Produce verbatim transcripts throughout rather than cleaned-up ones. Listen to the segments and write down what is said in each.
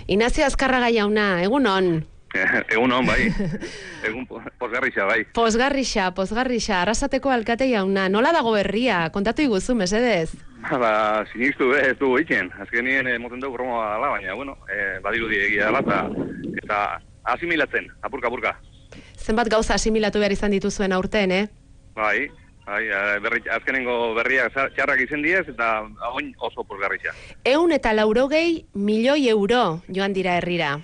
Inazio Azkarraga jauna, egunon. Egunon, bai. Egun posgarrixa, bai. Posgarrixa, posgarrixa, Arrasateko alkate jauna. Nola dago herria? Kontatu iguzu, mesedez. Ba, sinistu, eh, ez du egiten. Azkenien emoten dugu bromoa dala, baina, bueno, eh, badirudi egia dela, eta, eta asimilatzen, apurka-apurka. Zenbat gauza asimilatu behar izan dituzuen aurten, eh? Bai, bai, berri, azkenengo berriak txarrak izen diez, eta oin oso posgarrixa. Eun eta laurogei milioi euro joan dira herrira.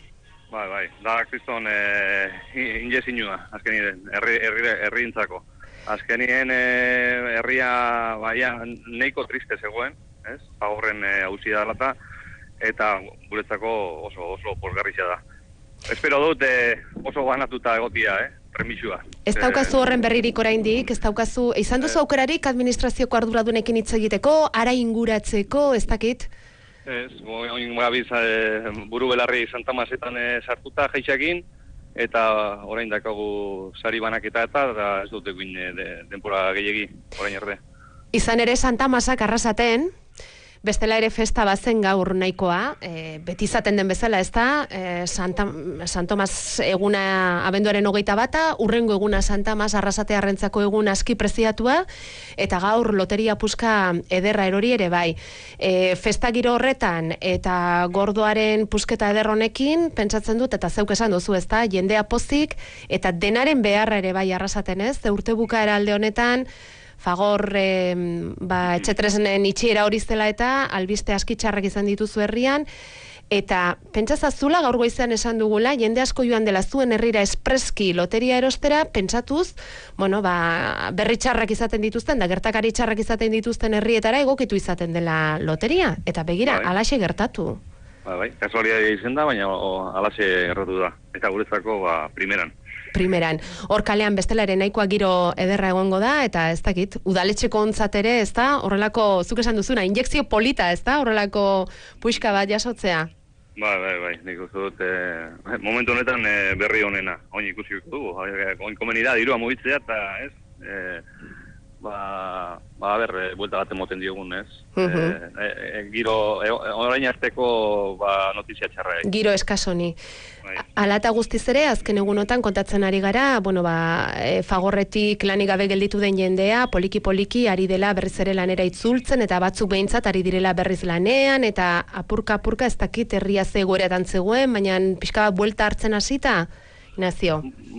Bai, bai, da kriston eh, injezinua, azkenien, herri, herri, herriintzako. Azkenien eh, herria, baia, neiko triste zegoen, ez? Pagorren eh, hauzi da lata, eta guretzako oso, oso posgarrixa da. Espero dut eh, oso ganatuta egotia, eh? Premixua. Ez daukazu horren berririk oraindik, ez daukazu, izan duzu aukerarik administrazioko arduradunekin hitz egiteko, ara inguratzeko, ez dakit? Ez, oin gabiz e, buru belarri Santa Masetan e, sartuta jaixakin, eta orain dakagu sari banaketa eta, eta ez dut egin e, de, denpora gehiagi, orain erde. Izan ere Santa Masak Arrasaten, bestela ere festa bazen gaur nahikoa, e, beti izaten den bezala, ez da, e, Santa, San Tomas eguna abenduaren hogeita bata, urrengo eguna Santa Mas Arrasate Arrentzako egun aski preziatua, eta gaur loteria puska ederra erori ere bai. E, festa giro horretan, eta gordoaren pusketa eder honekin, pentsatzen dut, eta zeuk esan duzu, ez da, jendea pozik, eta denaren beharra ere bai Arrasaten, ez, ze urte bukaera alde honetan, Fagor eh, ba, etxetresnen itxiera hori zela eta albiste askitxarrak izan dituzu herrian, eta pentsazazula gaur goizean esan dugula, jende asko joan dela zuen herrira espreski loteria erostera, pentsatuz, bueno, ba, berri txarrak izaten dituzten, da gertakari txarrak izaten dituzten herrietara egokitu izaten dela loteria, eta begira, bai, alaxe gertatu. Ba, bai, kasualitatea izan da, baina o, alaxe gertatu da, eta guretzako ba, primeran. Primeran. Hor kalean bestela ere nahikoa giro ederra egongo da, eta ez dakit, udaletxeko ontzat ere, ez da, horrelako, zuk esan duzuna, injekzio polita, ez da, horrelako puixka bat jasotzea? Bai, bai, bai, nik uste dut, eh, momentu honetan eh, berri honena, oin ikusi dugu, oin komeni da, dirua mugitzea, eta ez, eh, ba, ba, ber, e, buelta bat emoten diogun, ez? Uh-huh. e, e, giro, e, orain azteko, ba, notizia txarra. Eh? Giro eskasoni. Ala eta guztiz ere, azken egunotan kontatzen ari gara, bueno, ba, e, Fagorretik lanik gabe gelditu den jendea, poliki-poliki ari dela berriz ere lanera itzultzen, eta batzuk behintzat ari direla berriz lanean, eta apurka-apurka ez dakit herria zegoeretan zegoen, baina pixka bat buelta hartzen hasita, Ignacio.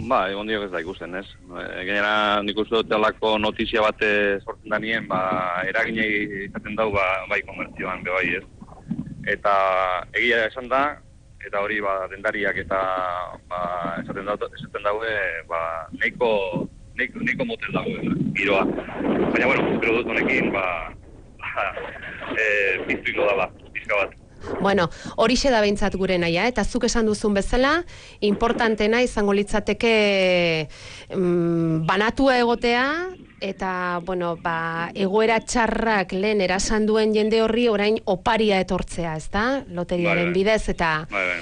Ba, egon diok ez da ikusten, ez? E, Gainera, nik uste dut alako notizia bate sortzen danien, ba, eraginei izaten dau, ba, bai komertzioan, be bai, ez? Eta egia esan da, eta hori ba dendariak eta ba esaten daue esaten daue ba neiko neiko neiko motel dago giroa. Baina bueno, espero dut honekin ba ba eh piztuko dela, pizka bat. Bueno, horixe da behintzat gure naia, eta zuk esan duzun bezala, importantena izango litzateke mm, banatua egotea, eta, bueno, ba, egoera txarrak lehen erasan duen jende horri orain oparia etortzea, ez da? Loteriaren bidez, eta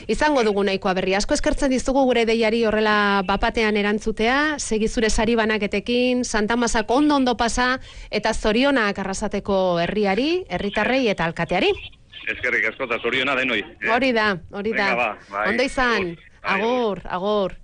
izango dugu nahikoa berri. Asko eskertzen dizugu gure deiari horrela bapatean erantzutea, segi zure sari banaketekin, Santa Masak ondo ondo pasa, eta zorionak Arrasateko herriari, herritarrei eta alkateari. Eskerrik asko eta zoriona denoi. Hori da, hori da. Ondo izan, agur, agur.